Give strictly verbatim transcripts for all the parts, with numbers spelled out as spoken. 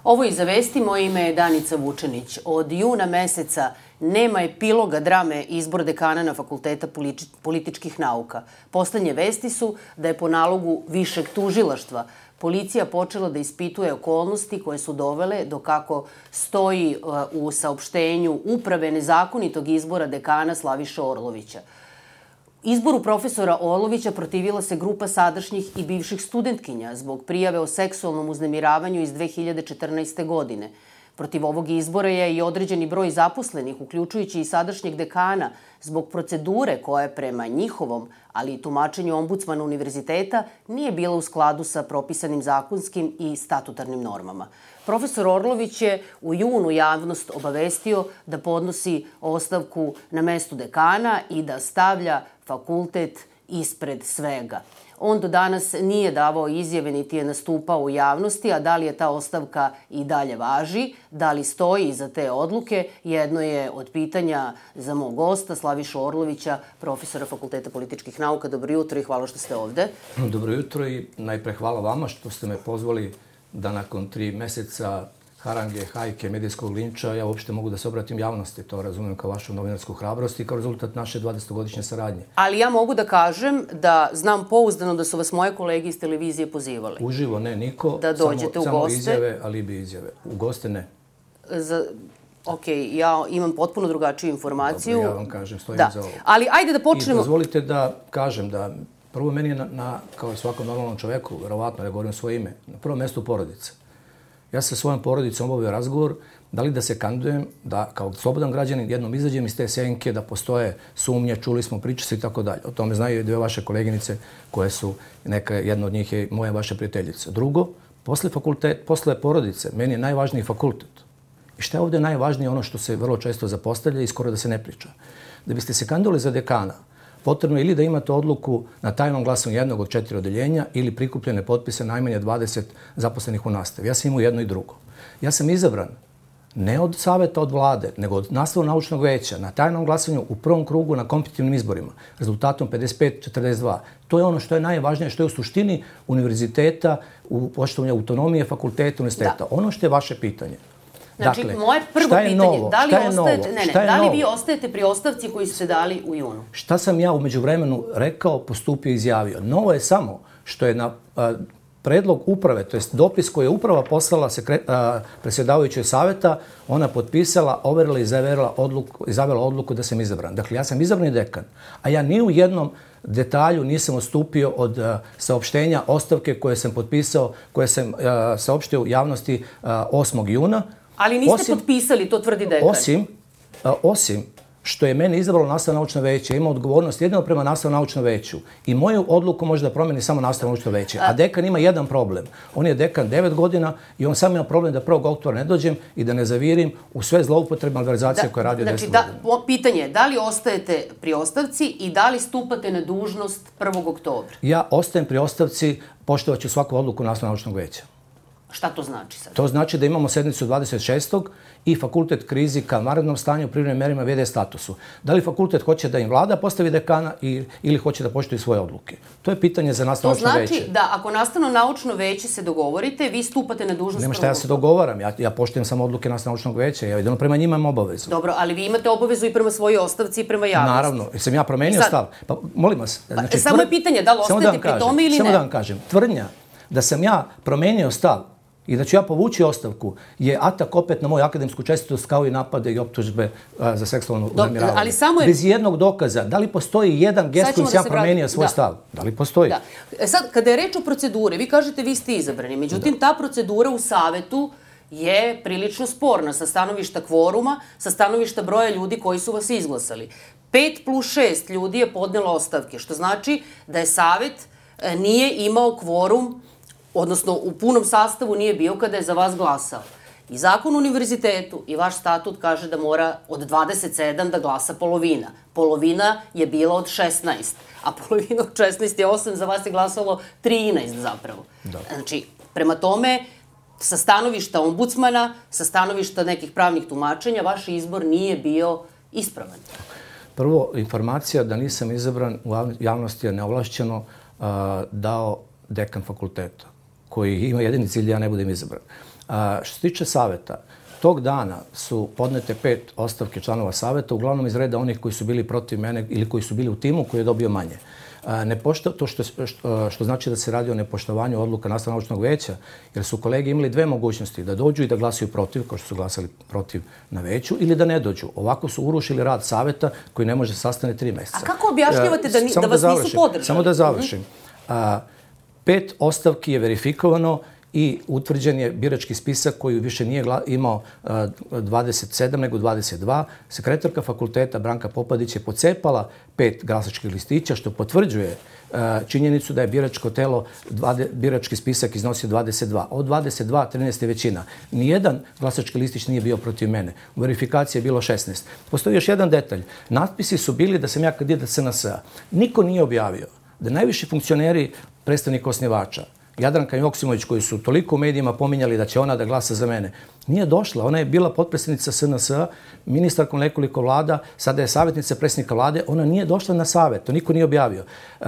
Ovo i za vesti, moje ime je Danica Vučenić. Od juna meseca nema epiloga drame izbor dekana na Fakulteta političkih nauka. Poslednje vesti su da je po nalogu višeg tužilaštva policija počela da ispituje okolnosti koje su dovele do, kako stoji u saopštenju, uprave nezakonitog izbora dekana Slaviše Orlovića. Izboru profesora Orlovića protivila se grupa sadašnjih i bivših studentkinja zbog prijave o seksualnom uznemiravanju iz dve hiljade četrnaeste. godine. Protiv ovog izbora je i određeni broj zaposlenih, uključujući i sadašnjeg dekana, zbog procedure koja prema njihovom, ali i tumačenju ombudsmana univerziteta, nije bila u skladu sa propisanim zakonskim i statutarnim normama. Profesor Orlović je u junu javnost obavestio da podnosi ostavku na mestu dekana i da stavlja fakultet ispred svega. On do danas nije davao izjave niti je nastupao u javnosti, a da li je ta ostavka i dalje važi, da li stoji iza te odluke, jedno je od pitanja za mog gosta, Slavišu Orlovića, profesora Fakulteta političkih nauka. Dobro jutro i hvala što ste ovde. Dobro jutro i najpre hvala vama što ste me pozvali da nakon tri meseca harange, hajke, medijskog linča, ja uopšte mogu da se obratim javnosti. To razumijem kao vašu novinarsku hrabrost i kao rezultat naše dvadesetogodišnje saradnje. Ali ja mogu da kažem da znam pouzdano da su vas moje kolege iz televizije pozivali. Uživo ne, niko. Da dođete u goste. Samo izjave, alibi izjave. U goste ne. Za... Ok, ja imam potpuno drugačiju informaciju. Dobro, ja vam kažem, stojim da. za ovo. Ali ajde da počnemo... I dozvolite da kažem da prvo meni je na, na kao i svakom normalnom čoveku, verovatno, ja govorim svoje ime, na prvom mestu porodica. Ja sa svojom porodicom obavio razgovor da li da se kandidujem, da kao slobodan građanin jednom izađem iz te senke, da postoje sumnje, čuli smo, priče se i tako dalje. O tome znaju i dve vaše koleginice koje su, neka, jedna od njih je moja vaša prijateljica. Drugo, posle, fakultet, posle porodice, meni je najvažniji fakultet. I šta je ovde najvažnije, ono što se vrlo često zapostavlja i skoro da se ne priča. Da biste se kandidovali za dekana, potrebno je ili da imate odluku na tajnom glasanju jednog od četiri odeljenja ili prikupljene potpise najmanje dvadeset zaposlenih u nastavi. Ja sam imao jedno i drugo. Ja sam izabran ne od saveta od vlade, nego od nastavno-naučnog veća na tajnom glasanju u prvom krugu na kompetitivnim izborima, rezultatom pedeset pet četrdeset dva. To je ono što je najvažnije, što je u suštini univerziteta, u poštovanju autonomije fakulteta, univerziteta. Da. Ono što je vaše pitanje. Znači, dakle, moje prvo pitanje, novo? da li, šta je ostajete, novo? ne, ne, šta je da li novo? vi ostajete pri ostavci koju ste dali u junu? Šta sam ja umeđu vremenu rekao, postupio i izjavio? Novo je samo što je na a, predlog uprave, to jest dopis koji je uprava poslala sekre, a, predsjedavajućoj saveta, ona potpisala, overila i zavjerila odluku, izavela odluku da sam izabran. Dakle, ja sam izabrani dekan, a ja ni u jednom detalju nisam odstupio od uh, saopštenja ostavke koje sam potpisao, koje sam uh, saopštio u javnosti uh, osmog juna. Ali niste osim, potpisali, to tvrdi dekan. Osim, a, osim što je mene izabralo nastavno-naučno veće, ima odgovornost jedino prema nastavno-naučnom veću. I moju odluku može da promeni samo nastavno-naučno veće. A dekan ima jedan problem. On je dekan devet godina i on samo ima problem da prvog oktobra ne dođem i da ne zavirim u sve zloupotrebe malverzacije koje radi znači, deset da, godina. Pitanje je da li ostajete pri ostavci i da li stupate na dužnost prvog oktobra? Ja ostajem pri ostavci, poštovaću svaku odluku nastavno-naučnog veća. Šta to znači sad? To znači da imamo sednicu dvadeset šestog i fakultet krizi ka vanrednom stanju, privremenim merama, ve de statusu. Da li fakultet hoće da im vlada postavi dekana i, ili hoće da poštuje svoje odluke? To je pitanje za nastavno-naučno veće. To znači da ako nastavno-naučno veće se dogovorite, vi stupate na dužnost. Nema šta ja se dogovaram. Ja, ja poštujem samo odluke nastavno-naučnog veća. Ja jedino prema njima imam obavezu. Dobro, ali vi imate obavezu i prema svojoj ostavci i prema javnosti. Naravno. Jesam ja promenio sad, stav? Pa molim vas. Znači, samo je pitanje da li ostajete pri tome ili ne? Samo da vam kažem. Tvrdnja da sam ja promenio stav i da ću ja povući ostavku je atak opet na moju akademsku čestitost kao i napade i optužbe a, za seksualno uznemiravanje. Je... Bez jednog dokaza. Da li postoji jedan gest kojim sam ja promenio svoj da. stav? Da li postoji? Da. E sad, kada je reč o proceduri, vi kažete vi ste izabrani. Međutim, da. ta procedura u savetu je prilično sporna sa stanovišta kvoruma, sa stanovišta broja ljudi koji su vas izglasali. Pet plus šest ljudi je podnelo ostavke, što znači da je savet nije imao kvorum, odnosno u punom sastavu nije bio kada je za vas glasao. I zakon o univerzitetu i vaš statut kaže da mora od dvadeset sedam da glasa polovina. Polovina je bila od šesnaest, a polovina od šesnaest je osam, za vas je glasalo trinaest zapravo. Da. Znači, prema tome, sa stanovišta ombudsmana, sa stanovišta nekih pravnih tumačenja, vaš izbor nije bio ispravan. Prvo, informacija da nisam izabran u javnosti je neovlašćeno uh, dao dekan fakulteta, koji ima jedini cilj da ja ne budem izabran. A, što se tiče saveta, tog dana su podnete pet ostavke članova saveta, uglavnom iz reda onih koji su bili protiv mene ili koji su bili u timu koji je dobio manje. Ne pošto, to što, što, što znači da se radi o nepoštovanju odluka nastavno-naučnog veća, jer su kolege imali dve mogućnosti, da dođu i da glasaju protiv, kao što su glasali protiv na veću, ili da ne dođu. Ovako su urušili rad saveta koji ne može sastane tri meseca. A kako objašnjavate da, ni, da, da vas završim, nisu podržali? Samo da završim. Mm-hmm. A, pet ostavki je verifikovano i utvrđen je birački spisak koji više nije imao dvadeset sedam nego dvadeset dva. Sekretarka fakulteta Branka Popadić je pocepala pet glasačkih listića, što potvrđuje činjenicu da je biračko telo, birački spisak iznosio dvadeset dva. Od dvadeset dva, trinaest je većina. Nijedan glasački listić nije bio protiv mene. U verifikaciji je bilo šesnaest. Postoji još jedan detalj. Natpisi su bili da sam ja kandidat S N S-a. Niko nije objavio da najviši funkcioneri, predstavnik osnivača, Jadranka Joksimović, koji su toliko u medijima pominjali da će ona da glasa za mene, nije došla. Ona je bila potpredsjednica S N S-a, ministarkom nekoliko vlada, sada je savjetnica predsjednika vlade. Ona nije došla na savjet, to niko nije objavio.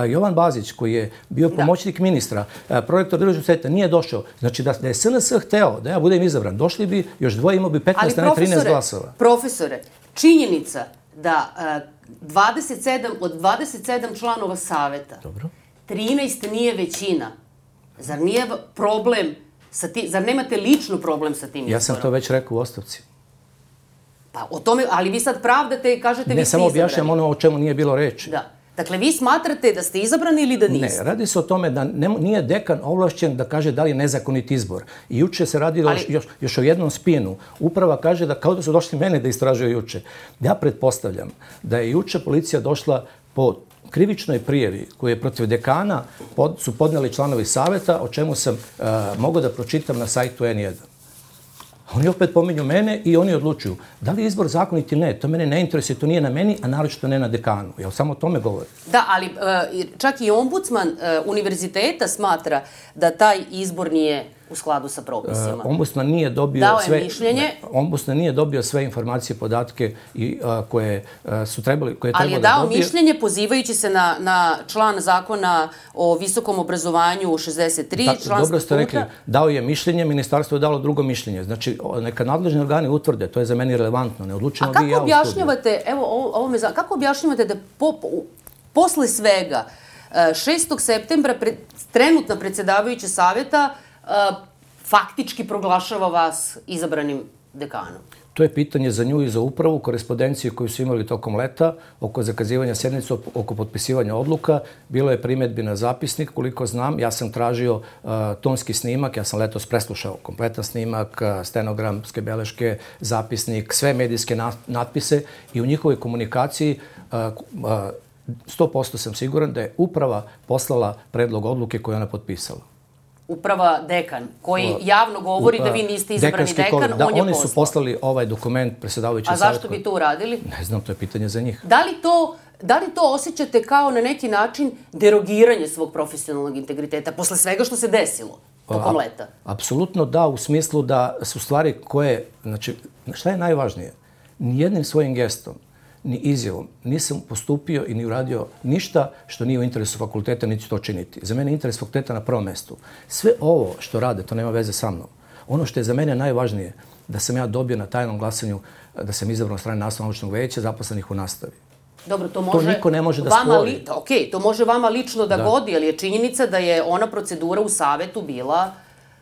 Jovan Bazić, koji je bio pomoćnik ministra, prorektor državnog sveta, nije došao. Znači da, da je S N S hteo da ja budem izabran, došli bi još dvoje, imao bi petnaest, a ne trinaest glasova. Profesore, činjenica da dvadeset sedam od dvadeset sedam članova saveta, dobro, trinaest nije većina. Zar nije problem sa tim, zar nemate lično problem sa tim izborom? Ja sam to već rekao u ostavci. Pa o tome, ali vi sad pravdate i kažete vi ste izabrani. Ne, samo objašnjam ono o čemu nije bilo reči. Da. Dakle, vi smatrate da ste izabrani ili da niste? Ne, radi se o tome da ne, nije dekan ovlašćen da kaže da li je nezakonit izbor. I juče se radi ali... još, još o jednom spinu. Uprava kaže da kao da su došli mene da istražuju juče. Ja pretpostavljam da je juče policija došla po krivičnoj prijavi koju je protiv dekana pod, su podneli članovi saveta, o čemu sam uh, mogao da pročitam na sajtu N jedan. Oni opet pominju mene i oni odlučuju da li je izbor zakonit ili ne. To mene ne interesuje, to nije na meni, a naročito ne na dekanu. Ja samo o tome govorim. Da, ali uh, čak i ombudsman uh, univerziteta smatra da taj izbor nije u skladu sa propisima. Uh, ombudsman nije dobio Dao sve mišljenje. Ne, ombudsman nije dobio sve informacije, podatke i uh, koje uh, su trebali koje ali trebalo je dao da dobije. mišljenje pozivajući se na na član zakona o visokom obrazovanju šezdeset tri, Tako, član dobro ste statuta. rekli, dao je mišljenje, ministarstvo je dalo drugo mišljenje. Znači neka nadležni organi utvrde, to je za meni relevantno, ne odlučimo vi i ja u studiju. A kako objašnjavate, evo ovo, ovo me, kako objašnjavate da po, posle svega šestog septembra pre, trenutna predsjedavajuća savjeta uh, faktički proglašava vas izabranim dekanom? To je pitanje za nju i za upravu, korespondencije koju su imali tokom leta, oko zakazivanja sjednice, oko potpisivanja odluka. Bilo je primjedbi na zapisnik, koliko znam. Ja sam tražio uh, tonski snimak, ja sam letos preslušao kompletan snimak, uh, stenogramske beleške, zapisnik, sve medijske natpise i u njihovoj komunikaciji uh, uh, sto posto sam siguran da je uprava poslala predlog odluke koju ona potpisala. Uprava dekan, koji javno govori da vi niste izabrani dekan, on je poslao. Da, oni su poslali ovaj dokument predsjedavajući savjet. A zašto bi to uradili? Ne znam, to je pitanje za njih. Da li to, da li to osjećate kao na neki način derogiranje svog profesionalnog integriteta posle svega što se desilo tokom leta? Apsolutno da, u smislu da su stvari koje, znači, šta je najvažnije? Nijednim svojim gestom, ni izjavom nisam postupio i ni uradio ništa što nije u interesu fakulteta, niti to činiti. Za mene je interes fakulteta na prvom mestu. Sve ovo što rade, to nema veze sa mnom. Ono što je za mene najvažnije, da sam ja dobio na tajnom glasanju, da sam izabran od strane nastavno-naučnog veća zaposlenih u nastavi. Dobro, to može... To niko ne može da vama spori. Li, ok, to može vama lično da, da godi, ali je činjenica da je ona procedura u savetu bila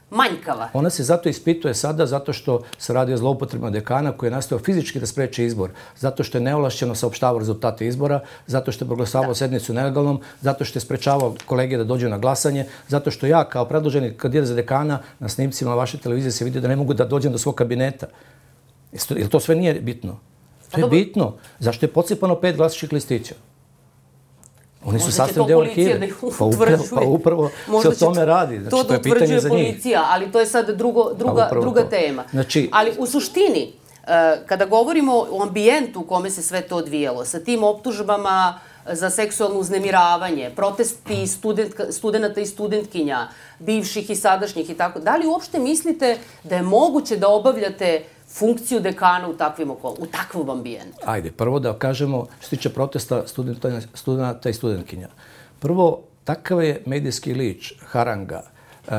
manjkava. Ona se zato ispituje sada zato što se radi o zloupotrebama dekana koji je nastao fizički da spreči izbor, zato što je neovlašćeno saopštavao rezultate izbora, zato što je proglasavao sednicu nelegalnom, zato što je sprečavao kolege da dođu na glasanje, zato što ja kao predloženi kandidat za dekana na snimcima na vaše televizije se vidi da ne mogu da dođem do svog kabineta. Jel to sve nije bitno? To je bitno. Zašto je podsipano pet glasačkih listića? Oni su sastavni deo arhive. Pa upravo, pa upravo se o tome radi. Znači, to to je pitanje za njih. Policija, ali to je sad drugo, druga, druga to. tema. Znači, ali u suštini, kada govorimo o ambijentu u kome se sve to odvijalo, sa tim optužbama za seksualno uznemiravanje, protesti studentka, studenta i studentkinja, bivših i sadašnjih i tako, da li uopšte mislite da je moguće da obavljate funkciju dekana u takvim okol, u takvom ambijentu? Ajde, prvo da kažemo što se tiče protesta studenta, studenta i studentkinja. Prvo, takav je medijski lič, haranga uh,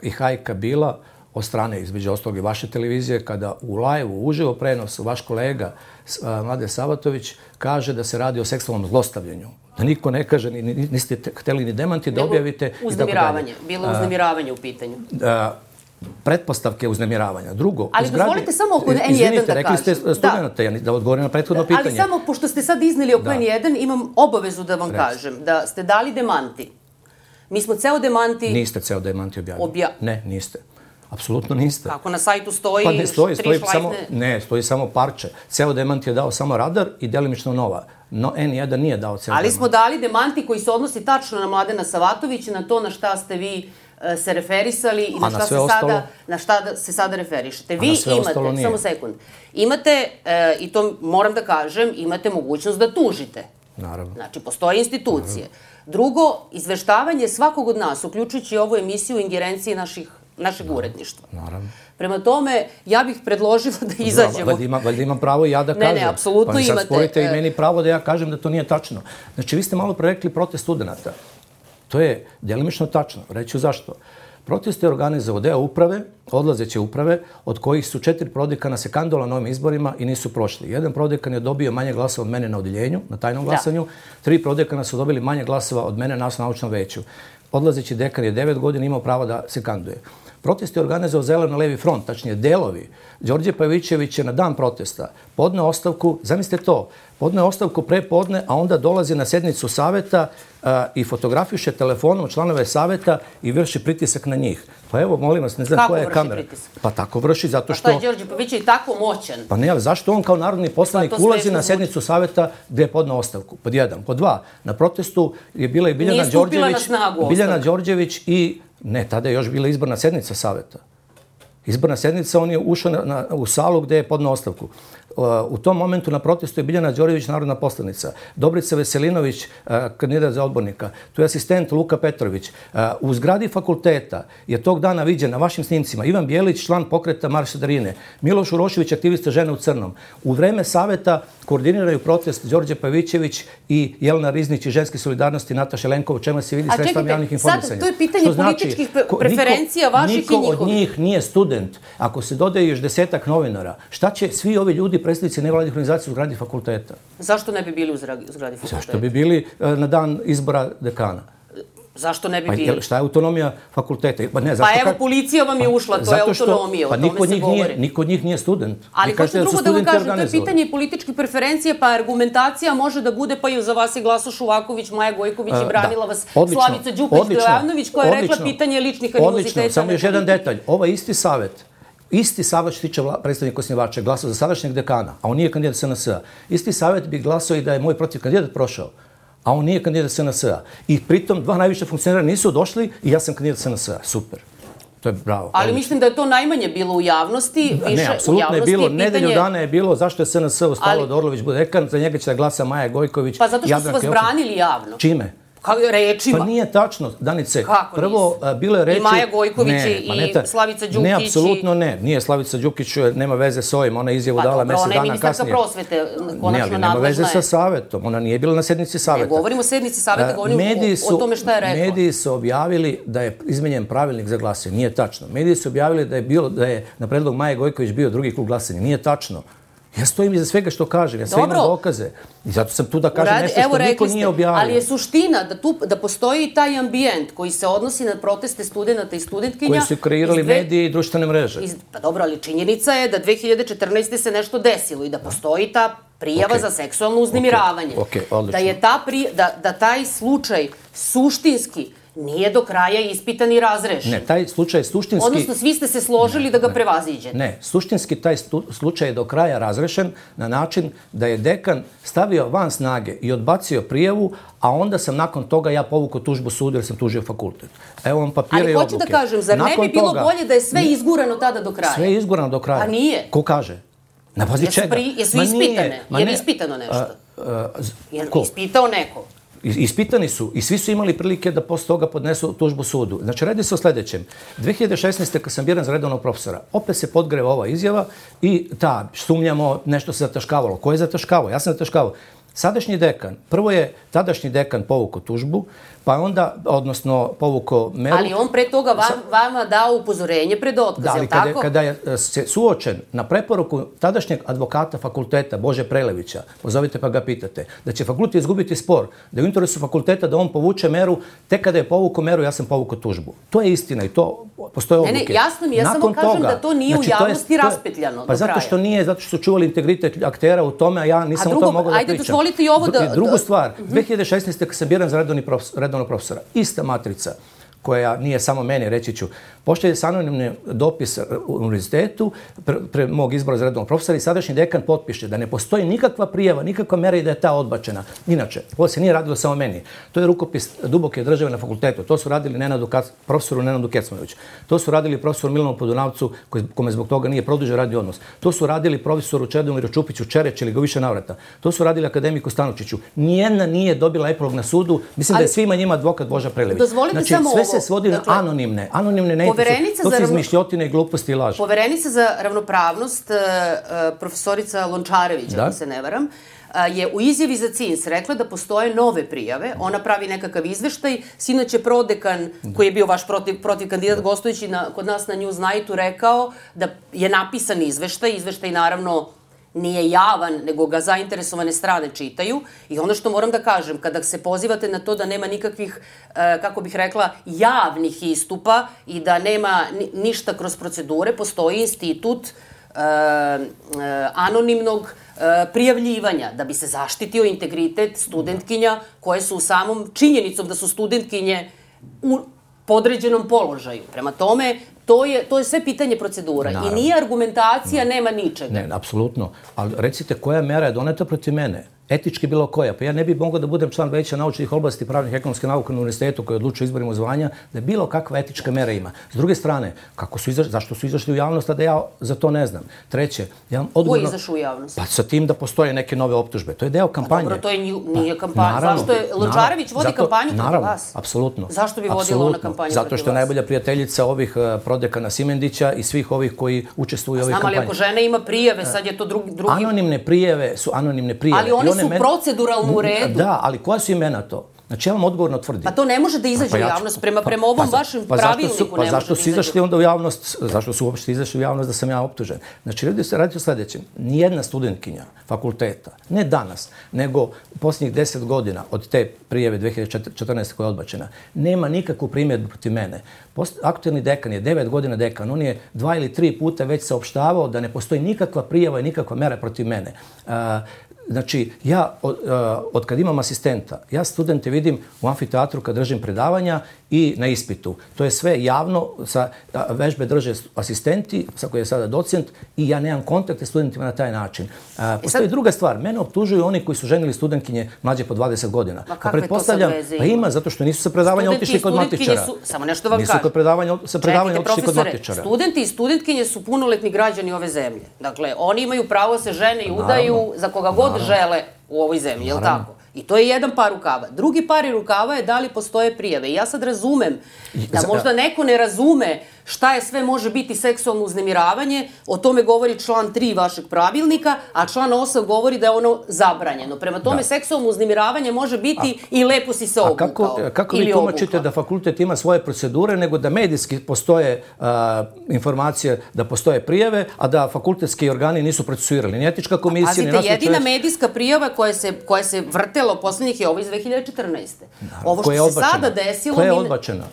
i hajka bila od strane, između ostalog i vaše televizije, kada u live-u, uživo prenosu, vaš kolega Mladen Savatović kaže da se radi o seksualnom zlostavljanju. Da niko ne kaže, niste hteli ni demanti da objavite. Uznemiravanje. Bilo je uznemiravanje u pitanju. Pretpostavke uznemiravanja. Drugo, ali dozvolite samo oko en jedan da kažem. Izvinite, rekli ste studenta, da odgovorim na prethodno pitanje. Ali samo, pošto ste sad izneli oko en jedan, imam obavezu da vam kažem da ste dali demanti. Mi smo ceo demanti... Niste ceo demanti objavili. Ne, niste. Apsolutno niste. Kako na sajtu stoji? Pa ne stoji, stoji samo, ne, stoji samo parče. Ceo demant je dao samo Radar i delimično Nova. No, en jedan nije dao ceo demant. Ali smo dali demanti koji se odnosi tačno na Mladena Savatovića, na to na šta ste vi se referisali i na šta se sada, na šta se sada referišete. Vi imate, samo sekund, imate, i to moram da kažem, imate mogućnost da tužite. Naravno. Znači, postoje institucije. Drugo, izveštavanje svakog od nas, uključujući ovu emisiju u ingerenciji našeg uredništva. Naravno. Prema tome, ja bih predložila da izađemo. Valjda imam pravo i ja da kažem. Ne, ne, apsolutno imate. Pa mi sad sporite i meni pravo da ja kažem da to nije tačno. Znači, vi ste malo prerekli protest studenta. To je delimično tačno. Reću zašto. Protest je organizovao deo uprave, odlazeće uprave, od kojih su četiri prodekana se kandidatovali na ovim izborima i nisu prošli. Jedan prodekan je dobio manje glasova od mene na odeljenju, na tajnom glasanju. Tri prodekana su dobili manje glasova od mene na naučnom veću. Odlazeći dekan je devet godina imao pravo da se kandiduje. Protest je organizovao Zeleno-levi front, tačnije delovi. Đorđe Pavićević je na dan protesta podneo ostavku, zamislite to, podneo ostavku pre podne, a onda dolazi na sednicu saveta i fotografiše telefonom članove saveta i vrši pritisak na njih. Pa evo, molim vas, ne znam koja je kamera. Kako vrši pritisak? Pa tako vrši, zato što... Pa šta je Đorđe Pavićević tako moćan? Pa ne, ali zašto on kao narodni poslanik ulazi na sednicu saveta gde je podneo ostavku? Pod jedan. Pod dva, na protestu je bila i Biljana Đorđević... Biljana Đorđević i... Ne, tada je još bila izborna sednica saveta. Izborna sednica, on je ušao u salu gde je podneo ostavku. U tom momentu na protestu je Biljana Đorđević, narodna poslanica. Dobrica Veselinović, kandidat za odbornika. Tu je asistent Luka Petrović. U zgradi fakulteta je tog dana viđen na vašim snimcima Ivan Bjelić, član pokreta Marša Darine. Miloš Urošević, aktivista Žene u crnom. U vreme saveta koordiniraju protest Đorđe Pavićević i Jelena Riznić i Ženske solidarnosti Nataša Lenkova, u čemu se vidi sredstvom javnih informisanja. Sad, to je pitanje političkih preferencija vaših i njihovih. Niko od njih nije student. Ako se dodaje još desetak novinara, šta će svi ovi ljudi predstavnici nevladnih organizacija u zgradi fakulteta? Zašto ne bi bili u zgradi fakulteta? Zašto bi bili na dan izbora dekana? Zašto ne bi bili? Šta je autonomija fakulteta? Pa evo, policija vam je ušla, to je autonomija, o tome se govori. Niko od njih nije student. Ali hoću drugo da vam kažem, to je pitanje političkih preferencija, pa argumentacija može da bude, pa i za vas je Glaso Šuvaković, Maja Gojković i branila vas Slavica Đukić-Dojavnović, koja je rekla pitanje ličnih animoziteta. Odlično, samo još jedan detalj. Ovo je isti savjet. Isti savjet što tiče predstavnika osnivača glasao za sadašnjeg dekana, a on nije kandidat S N S-a. Isti savjet bi glasao i da je moj protiv kandidat prošao, a on nije kandidat S N S-a. I pritom dva najviše funkcionera nisu došli i ja sam kandidat S N S-a. Super. To je bravo. Ali mislim da je to najmanje bilo u javnosti. Ne, apsolutno je bilo. Nedelju dana je bilo zašto je S N S ostalo da Orlović bude dekan, za njega će da glasa Maja Gojković. Pa zato što su vas branili javno. Čime? Rečima. Pa nije tačno, Danice. Kako prvo, bilo je reči... I Maja Gojković i Slavica Đukić. Ne, apsolutno ne. Nije Slavica Đukić, nema veze s ovim. Ona je izjavu dala mesec dana kasnije. Ona je ministarka prosvete, konačno nadležna je. Ne, ali nema veze sa savetom. Ona nije bila na sednici saveta. Ne govorimo o sednici saveta, govorimo o tome šta je rekla. Mediji su objavili da je izmenjen pravilnik za glasanje. Nije tačno. Mediji su objavili da je bilo, da je na predlog Maje Gojković bio drugi krug glasanja. Nije tačno. Ja stojim iza svega što kažem, ja sve imam dokaze. I zato sam tu da kažem nešto što niko nije objavio. Ali je suština da postoji taj ambijent koji se odnosi na proteste studenta i studentkinja. Koji su kreirali medije i društvene mreže. Pa dobro, ali činjenica je da dve hiljade četrnaeste. se nešto desilo i da postoji ta prijava za seksualno uznemiravanje. Da taj slučaj suštinski nije do kraja ispitan i razrešen. Ne, taj slučaj je suštinski... Odnosno, svi ste se složili da ga prevaziđete. Ne, suštinski taj slučaj je do kraja razrešen na način da je dekan stavio van snage i odbacio prijavu, a onda sam nakon toga ja povukao tužbu sudu jer sam tužio fakultet. Evo vam papire i odluke. Ali hoću da kažem, zar ne bi bilo bolje da je sve izgurano tada do kraja? Sve je izgurano do kraja. A nije. Ko kaže? Na bazi čega? Jesu ispitane? Je li ispitano nešto? Je li ispitao neko? Ispitani su i svi su imali prilike da posle toga podnesu tužbu sudu. Znači, radi se o sledećem. dve hiljade šesnaeste. kad sam biran za redovnog profesora, opet se podgreva ova izjava i ta, sumnjamo, nešto se zataškavalo. Ko je zataškavao? Ja sam zataškavao. Sadašnji dekan, prvo je tadašnji dekan povukao tužbu, pa onda, odnosno povukao meru... Ali on pre toga vam, vama dao upozorenje pred otkaz, da, je li li tako? Kada je se suočen na preporuku tadašnjeg advokata fakulteta Bože Prelevića, pozovite pa ga pitate, da će fakultet izgubiti spor, da je u interesu fakulteta da on povuče meru, tek kada je povukao meru, ja sam povukao tužbu. To je istina i to postoje odluke. Ne, ne, jasno mi, ja samo kažem da to nije u javnosti raspetljano do kraja. Pa zato što nije, zato što su čuvali integritet aktera u tome, a ja nisam o tome mogao da pričam. Ajde, dozvolite i ovo da... Drugu stvar, dve hiljade šesnaeste. kad sam biran za redovnog profesora, ista matrica koja nije samo meni, reći ću, pošalje se anonimni dopis u univerzitetu pre, pre mog izbora za redovnog profesora i sadašnji dekan potpiše da ne postoji nikakva prijava, nikakva mera i da je ta odbačena. Inače, ovo se nije radilo samo meni. To je rukopis duboke države na fakultetu. To su radili Nenadu, profesoru Nenadu Kecmanoviću. To su radili profesoru Milanu Podunavcu, kome zbog toga nije produžen radni odnos. To su radili profesoru Čedomiru Čupiću Čereć ili ga više navrata. To su radili akademiku Stanučiću. Nijedna nije dobila epilog na sudu. Mislim ali, da je svima njima advokat Boža Prelević. Dozvolite znači, samo sve ovo. se svodi dakle, na anonimne. Anonimne ne su, to su izmišljotine i gluposti i laži. Poverenica za ravnopravnost, uh, profesorica Lončarević, ako se ne varam, uh, je u izjavi za C I N S rekla da postoje nove prijave. Ona pravi nekakav izveštaj. Sinoć je prodekan, koji je bio vaš protiv, protiv kandidat gostujući na, kod nas na Newsnightu, rekao da je napisan izveštaj. Izveštaj naravno nije javan, nego ga zainteresovane strane čitaju. I ono što moram da kažem, kada se pozivate na to da nema nikakvih, kako bih rekla, javnih istupa i da nema ništa kroz procedure, postoji institut anonimnog prijavljivanja, da bi se zaštitio integritet studentkinja koje su u samom činjenicom da su studentkinje u podređenom položaju. Prema tome, to je, to je sve pitanje procedura. Naravno. I nije argumentacija, nema ničega. Ne, apsolutno. Ali recite, koja mera je doneta protiv mene? Etički bilo koja. Pa ja ne bih mogao da budem član veća naučnih oblasti pravnih i ekonomske nauke na univerzitetu koji odlučuje izborima zvanja, da je bilo kakva etička mera ima. S druge strane, kako su izašli, zašto su izašli u javnost, a da ja za to ne znam. Treće, ja odgovorno... Ko je izašao u javnost? Pa sa tim da postoje neke nove optužbe. To je deo kampanje. Pa dobro, to je nije kampanja. Pa, zašto je Lončarević vodi zato, kampanju protiv naravno, vas? Apsolutno. Zašto bi vodila ona kampanju protiv vas? Zato što je najbolja prijateljica ovih uh, prodekana Simendića i svih ovih koji učestvuju u ovih kampanja. Znam, ali ako žena ima prijave, sad je to drugi... drugi... Anonimne prijeve su anonimne prijeve. Ali one su proceduralne u redu. Da, ali koja su imena to? Znači, ja vam odgovorno tvrdim. Pa to ne može da izađe u javnost. Prema, prema ovom pa, vašem pa, pravilniku su, pa ne može da izađe. Pa zašto su izašli onda u javnost? Zašto su uopšte izašli u javnost da sam ja optužen? Znači, radi se radi o sledećem. Nijedna studentkinja fakulteta, ne danas, nego u posljednjih deset godina od te prijeve dve hiljade četrnaeste. koja je odbačena, nema nikakvu primjedbu protiv mene. Post, aktuelni dekan je devet godina dekan. On je dva ili tri puta već saopštavao da ne postoji nikakva prijava i nikakva mera protiv mene. Uh, Znači, ja od, od kad imam asistenta, ja studente vidim u amfiteatru kad držim predavanja i na ispitu. To je sve javno, sa vežbe drže asistenti, sa koji je sada docent, i ja nemam kontakte s studentima na taj način. A, postoji sad... druga stvar, mene optužuju oni koji su ženili studentkinje mlađe po dvadeset godina. Ma kakve to sad veze ima? Pa ima, zato što nisu sa predavanja studenti otišli kod matičara. Su, samo nešto vam nisu kažem. Nisu predavanja, sa predavanja Čekajte, otišli kod matičara. Studenti i studentkinje su punoletni građani ove zemlje. Dakle, oni imaju pravo se žene i udaju naravno, za koga god naravno. žele u ovoj zemlji, je li tako? I to je jedan par rukava. Drugi par rukava je da li postoje prijave. I ja sad razumem da možda neko ne razume šta je sve može biti seksualno uznemiravanje, o tome govori član tri vašeg pravilnika, a član osam govori da je ono zabranjeno. Prema tome, da. seksualno uznemiravanje može biti a, i lepo si se obukao. A kako, kako vi tumačite da fakultet ima svoje procedure, nego da medijski postoje a, informacije da postoje prijave, a da fakultetski organi nisu procesuirali? Ni etička komisija, Pazite, ni nastavno jedina čovjek... medijska prijava koja se, koja se vrtela poslednjih je ovo iz dve hiljade četrnaeste. Ovo što se sada desilo... Koja je odbačena?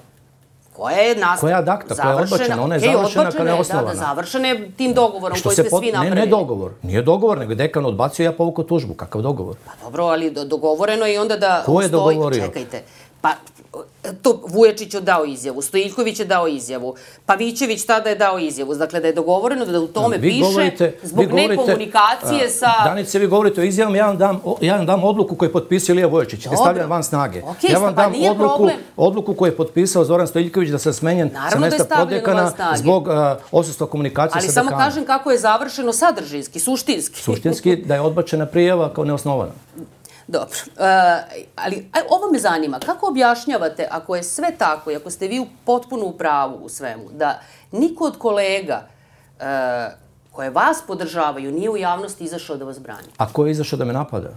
Koja je nastav... Koja je adakta, koja je odbačena, ona je okay, završena kada je osnovana. Da, da, završena je tim dogovorom koji ste pod... svi napravili. Ne, ne dogovor, nije dogovor, nego je dekan odbacio i ja povukao tužbu. Kakav dogovor? Pa dobro, ali do, dogovoreno je i onda da... Ko je stoji... dogovorio? Čekajte, pa to Vujačić je dao izjavu, Stojiljković je dao izjavu, Pavićević tada je dao izjavu. Dakle, da je dogovoreno da u tome vi piše govorite, zbog nekomunikacije a, sa... Danice, vi govorite o izjavom, ja vam dam, ja vam dam odluku koju je potpisao Ilija Vujačić, da stavljam van snage. Okay, ja vam dam pa odluku, odluku koju je potpisao Zoran Stojiljković da se smenjen sa mesta prodekana zbog uh, odsustva komunikacije ali sa dekanom. Ali samo kažem kako je završeno sadržinski, suštinski. Suštinski da je odbačena prijava kao neosnovana. Dobro, uh, ali ovo me zanima, kako objašnjavate, ako je sve tako i ako ste vi potpuno u pravu u svemu, da niko od kolega uh, koje vas podržavaju nije u javnosti izašao da vas brani? A ko je izašao da me napada?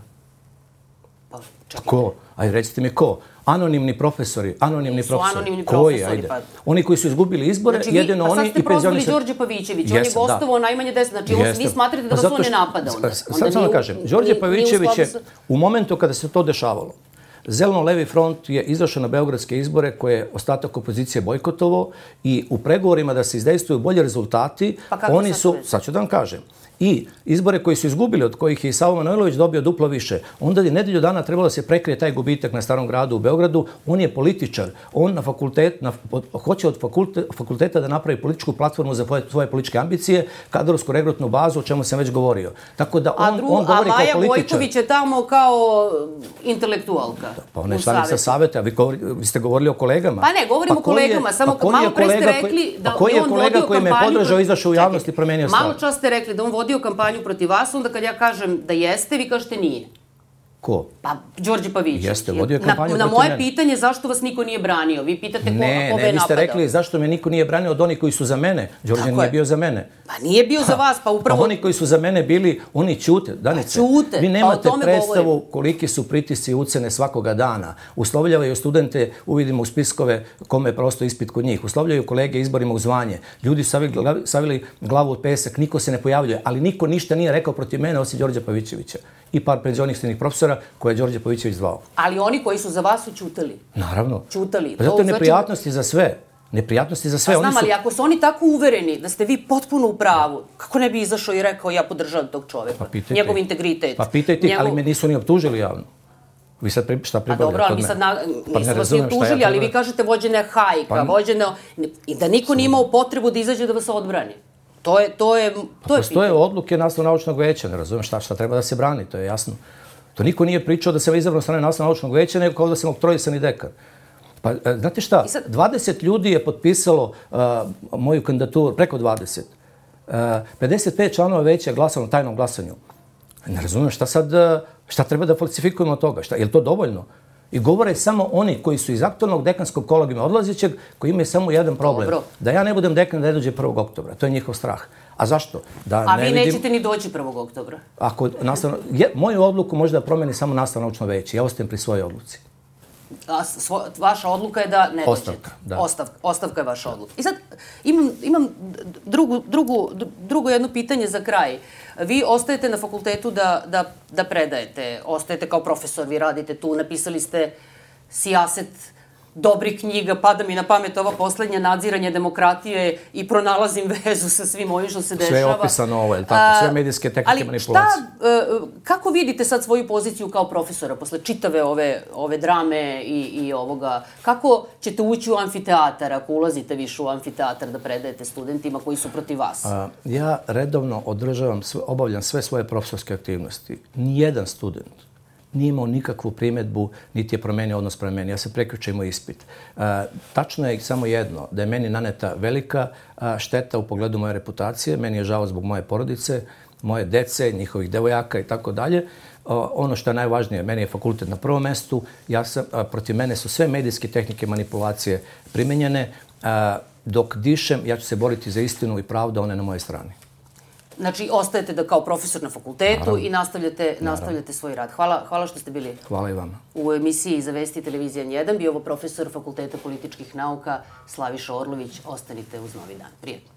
Pa, čekajte. Ko? Ajde, recite mi ko? Anonimni profesori, anonimni Nisu profesori. anonimni Koji? profesori, Ajde. pa- Oni koji su izgubili izbore, Znači, vi, jedino pa sad oni ste i prozvali penzionisani. Đorđe Pavićević, on je Jesam, da. gostovao najmanje deset, znači on, vi Jeste. smatrate da Pa vas zato on ne što- napada onda? s- Onda Sad samo nije da u- kažem, nije- Đorđe nije u Pavićević je, skladu sa- u momentu kada se to dešavalo, Zeleno-levi front je izašao na beogradske izbore koje je ostatak opozicije bojkotovao i u pregovorima da se izdejstvuju bolji rezultati, Pa kakve oni sad su, veze? sad ću da vam kažem, i izbore koji su izgubili, od kojih je i Savo Manojlović dobio duplo više, onda je nedelju dana trebalo da se prekrije taj gubitak na Starom gradu u Beogradu. On je političar. On na fakultet, na, od, hoće od fakulte, fakulteta da napravi političku platformu za svoje, svoje političke ambicije, kadrovsku regrutnu bazu, o čemu sam već govorio. Tako da on, A, dru, on a govori Maja kao političar. Gojković je tamo kao intelektualka. Pa ona je u članica Savetu. saveta, a vi, govori, vi ste govorili o kolegama. Pa ne, govorimo o koji je- kolegama, samo pa koji malo je pre ste kolega koji- rekli da pa koji je je on kolega vodio koji me kampanju podržao, protiv- izašao u javnost i promenio stav? Malo čas ste rekli da on vodio kampanju protiv vas, onda kad ja kažem da jeste, vi kažete nije. Ko? Pa, Đorđe Pavićević. Jeste, vodio je Na, kampanju na protiv moje mene. pitanje zašto vas niko nije branio. Vi pitate ko, Ne, ko me ne, je vi ste napadao. rekli zašto me niko nije branio od onih koji su za mene. Đorđe Tako nije je. bio za mene. Pa nije bio za vas, pa upravo... Pa oni koji su za mene bili, oni ćute. Danice, Pa ćute, vi pa nemate o tome predstavu govorim. koliki su pritisci i ucene svakoga dana. Uslovljavaju studente, uvidimo u spiskove kome je prosto ispit kod njih. Uslovljaju kolege izborima u zvanje. Ljudi su savili, glavi- savili glavu od pesak, niko se ne pojavljuje, ali niko ništa nije rekao protiv mene osim Đorđa Pavićevića i par penzionisnih profesora koje je Đorđe Pavićević zvao. Ali oni koji su za vas su ćutali. Naravno. Ćutali. Pa zato To je znači- neprijatnosti za sve. Neprijatnosti za sve. Pa Oni znam, su... ali ako su oni tako uvereni da ste vi potpuno u pravu, kako ne bi izašao i rekao ja podržavam tog čoveka? Pa pitajte. Njegov integritet. Pa pitajte, ih, njegov... ali me nisu ni optužili javno. Vi sad pri, šta Pa pribavljate dobro, ali od vi mene? sad na, Pa nisu ne vas ni razumem šta ja optužili, ali vi treba- kažete vođena je hajka, Pa- vođena... I da niko nije imao potrebu da izađe da vas odbrani. To je, to je, to je Postoje pitanje. odluke nastavno-naučnog veća, ne razumem šta, šta treba da se brani, to je jasno. To niko nije pričao da se izabrao strane nastavno-naučnog veća, nego kao da sam oktroisani dekan. Pa, e, znate šta, I sad- dvadeset ljudi je potpisalo uh, moju kandidaturu, preko dvadeset. Uh, pedeset pet članova veća je glasalo na tajnom glasanju. Ne razumem šta sad, uh, šta treba da falsifikujemo od toga, šta, je li to dovoljno? I govore samo oni koji su iz aktualnog dekanskog kolegijuma odlazećeg, koji imaju samo jedan problem. Dobro. Da ja ne budem dekan da ne dođe prvog oktobra. To je njihov strah. A zašto? Da A ne vi vidim... nećete ni doći prvog oktobra. Ako nastavno, je, moju odluku može da promeni samo nastavno naučno veće. Ja ostajem pri svojoj odluci. A svo, vaša odluka je da ne Ostavka, dođete. da. Ostavka, ostavka je vaša odluka. I sad imam, imam drugu, drugu, drugo jedno pitanje za kraj. Vi ostajete na fakultetu da, da, da predajete, ostajete kao profesor, vi radite tu, napisali ste sijaset dobrih knjiga, pada mi na pamet ova poslednja nadziranje demokratije i pronalazim vezu sa svim ovim što se dešava. Sve je opisano ovo, je li tako? Sve medijske tehnike manipulacije. Ali šta, e, kako vidite sad svoju poziciju kao profesora posle čitave ove, ove drame i, i ovoga? Kako ćete ući u amfiteatar ako ulazite više u amfiteatar da predajete studentima koji su protiv vas? A, ja redovno održavam, sve, obavljam sve svoje profesorske aktivnosti. Nijedan student nije imao nikakvu primjedbu, niti je promenio odnos prema meni. Ja se prekjuče imao ispit. A, tačno je samo jedno, da je meni naneta velika a, šteta u pogledu moje reputacije. Meni je žao zbog moje porodice, moje dece, njihovih devojaka i tako dalje. Ono što je najvažnije, meni je fakultet na prvom mestu. Ja sam, a, protiv mene su sve medijske tehnike manipulacije primenjene. A, dok dišem, ja ću se boriti za istinu i pravdu, a one na mojoj strani. Znači, ostajete da kao profesor na fakultetu Naravno. i nastavljate, nastavljate svoj rad. Hvala, hvala što ste bili Hvala i vama. U emisiji za Vesti Televizija N jedan bio ovo profesor Fakulteta političkih nauka Slaviša Orlović. Ostanite uz Novi dan. Prijetno.